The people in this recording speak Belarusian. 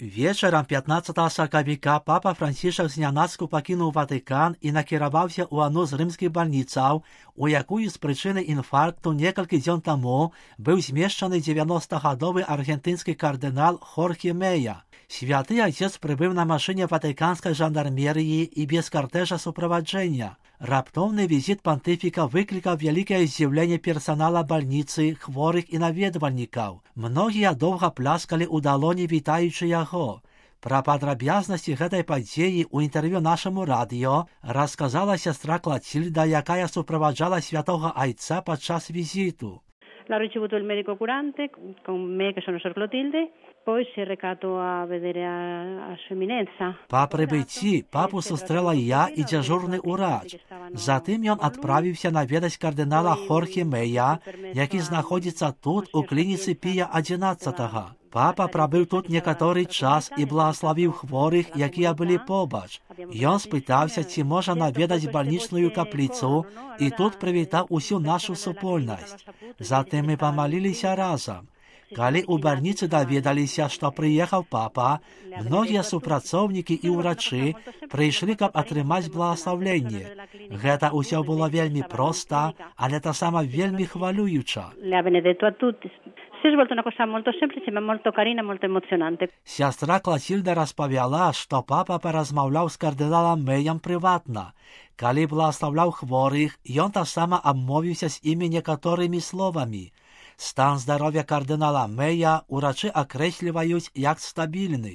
Вечером 15 сакавіка папа Францішак знянацку пакінуў Ватыкан і накіраваўся ў адну з рымскіх бальніцаў, у якую з прычыны інфаркту некалькі дзён таму быў змешчаны 90-гадовы аргентынскі кардынал Хорхе Мэя. Святы отец прыбыў на машыне ватыканскай жандармерыі і без картэжа суправаджэння. Раптоўны візіт пантыфіка выклікаў вялікае здзіўленне персанала бальніцы, хворых і наведвальнікаў. Многія доўга пляскалі ў далоні, вітаючы яго. Пра падрабязнасці гэтай падзеі ў інтэрв'ю нашаму радыё расказала сястра Клацільда, якая суправаджала святога айца падчас візіту. L'ha ricevuto il medico curante con me che sono Sor Clotilde, poi si è recato a vedere a Sua Eminenza. Па прыбыцці папу сустрэла я і дзяжурны ўрач. Затым ён адправіўся наведаць кардынала Хорхе Мэя, які знаходзіцца тут, у клініцы Пія XI. Папа прабыў тут некаторы час і благаславіў хворых, якія былі побач. Ён спытаўся, ці можа наведаць бальнічную капліцу, і тут прывітаў усю нашу супольнасць. Затым мы памаліліся разам. Калі ў бальніцы даведаліся, што прыехаў папа, многія супрацоўнікі і ўрачы прыйшлі, каб атрымаць благаслаўленне. Гэта ўсё было вельмі проста, але таксама вельмі хвалююча. Si è svolta una cosa molto semplice ma molto carina, molto emozionante. Сястра Клацільда распавяла, што папа паразмаўляў з кардыналам Мэем прыватна. Калі благаслаўляў хворых, ён таксама абмовіўся з імі некаторымі словамі. Стан здароўя кардынала Мэя ўрачы акрэсліваюць як стабільны.